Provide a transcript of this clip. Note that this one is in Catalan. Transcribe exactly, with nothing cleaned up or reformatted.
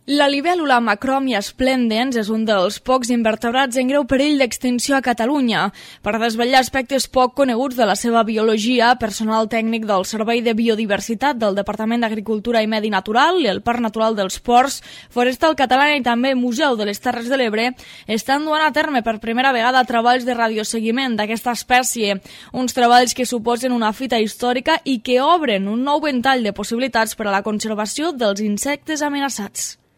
La libèl·lula Macromia splendens és un dels pocs invertebrats en greu perill d'extinció a Catalunya. Per desvetllar aspectes poc coneguts de la seva biologia, personal tècnic del Servei de Biodiversitat del Departament d'Agricultura i Medi Natural i el Parc Natural dels Ports, Forestal Catalana i també Museu de les Terres de l'Ebre estan duent a terme per primera vegada treballs de radioseguiment d'aquesta espècie, uns treballs que suposen una fita històrica i que obren un nou ventall de possibilitats per a la conservació dels insectes amenaçats.